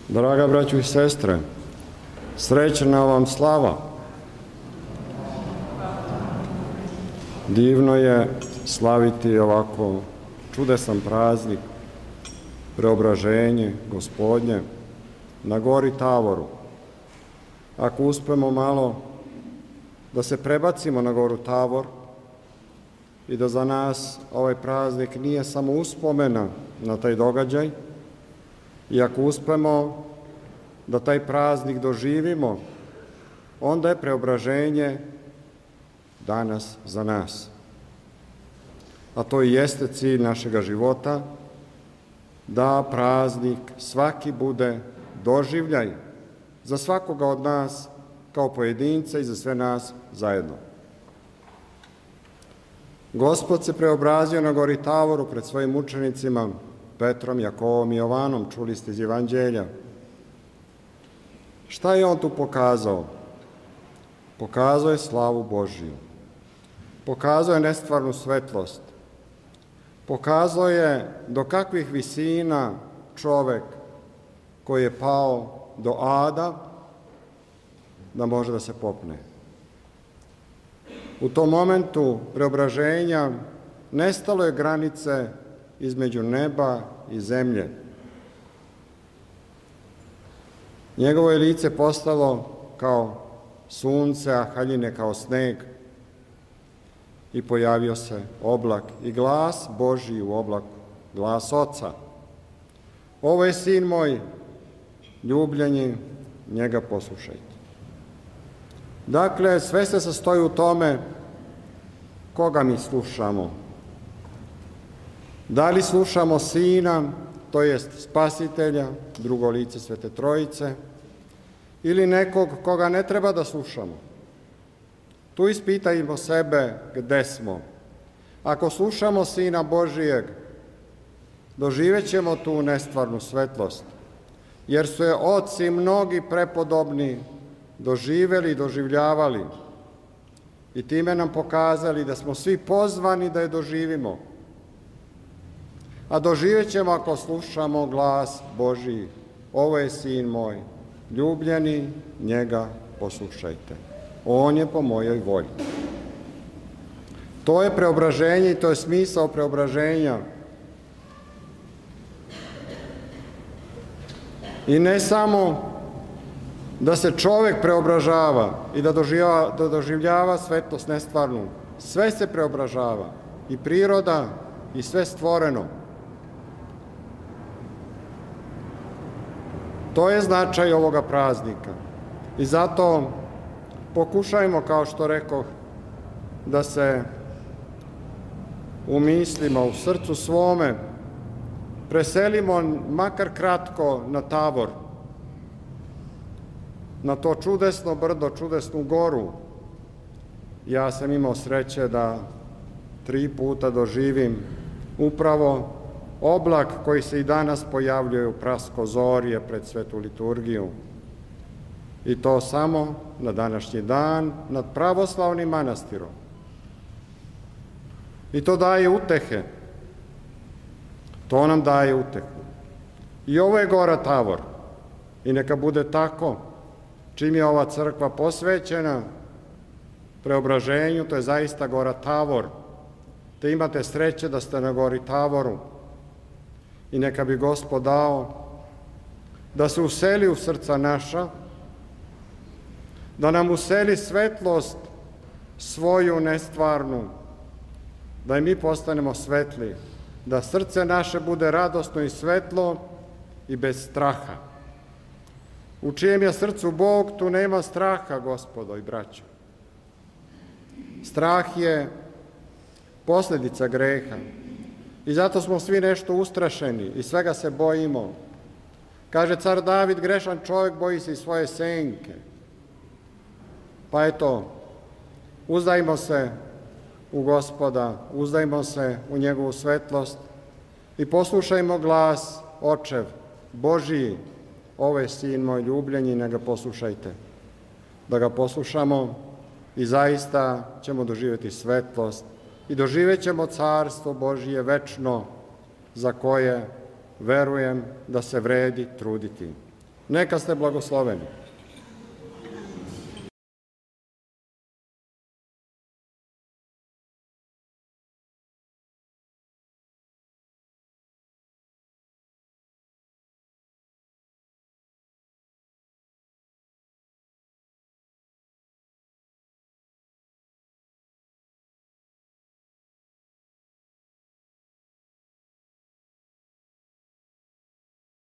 Draga braćo i sestre, srećna vam slava. Divno je slaviti ovako čudesan praznik, preobraženje Gospodnje na gori Tavoru. Ako uspemo malo da se prebacimo na goru Tavor i da za nas ovaj praznik nije samo uspomena na taj događaj, i ako uspemo da taj praznik doživimo, onda je preobraženje danas za nas. A to i jeste cilj našega života, da praznik svaki bude doživljaj za svakoga od nas kao pojedinca i za sve nas zajedno. Gospod se preobrazio na gori Tavoru pred svojim učenicima, Petrom, Jakovom i Jovanom, čuli ste iz Evanđelja. Šta je on tu pokazao? Pokazao je slavu Božiju. Pokazao je nestvarnu svetlost. Pokazao je do kakvih visina čovek koji je pao do ada da može da se popne. U tom momentu preobraženja nestalo je granice između neba i zemlje. Njegovo je lice postalo kao sunce, a haljine kao sneg i pojavio se oblak i glas Božji u oblaku, glas Oca. Ovo je sin moj, ljubljeni, njega poslušajte. Dakle, sve se sastoji u tome koga mi slušamo. Da li slušamo Sina, to jest Spasitelja, drugo lice Svete Trojice, ili nekog koga ne treba da slušamo? Tu ispitajmo sebe gde smo. Ako slušamo Sina Božijeg, doživet ćemo tu nestvarnu svetlost, jer su je oci mnogi prepodobni doživeli i doživljavali i time nam pokazali da smo svi pozvani da je doživimo. A doživet ćemo ako slušamo glas Božiji. Ovo je sin moj, ljubljeni, njega poslušajte. On je po mojoj volji. To je preobraženje i to je smisao preobraženja. I ne samo da se čovek preobražava i da doživljava svetlost nestvarnu. Sve se preobražava, i priroda i sve stvoreno. To je značaj ovoga praznika. I zato pokušajmo, kao što rekoh, da se u mislima, u srcu svome preselimo makar kratko na Tavor, na to čudesno brdo, čudesnu goru. Ja sam imao sreće da 3 puta doživim upravo oblak koji se i danas pojavljuje u praskozorje pred svetu liturgiju. I to samo na današnji dan nad pravoslavnim manastirom. I to daje utehe. To nam daje utehu. I ovo je gora Tavor. I neka bude tako. Čim je ova crkva posvećena preobraženju, to je zaista gora Tavor. Te imate sreće da ste na gori Tavoru. I neka bi Gospod dao da se useli u srca naša, da nam useli svetlost svoju nestvarnu, da i mi postanemo svetli, da srce naše bude radosno i svetlo i bez straha. U čijem je srcu Bog, tu nema straha, gospodo i braćo. Strah je posljedica greha. I zato smo svi nešto ustrašeni i svega se bojimo. Kaže car David, grešan čovjek boji se i svoje senke. Pa eto, uzdajmo se u Gospoda, uzdajmo se u njegovu svetlost i poslušajmo glas Očev, Božiji, ovo je sin moj ljubljeni, ne ga poslušajte. Da ga poslušamo i zaista ćemo doživjeti svetlost i doživjet ćemo carstvo Božije večno, za koje verujem da se vredi truditi. Neka ste blagosloveni.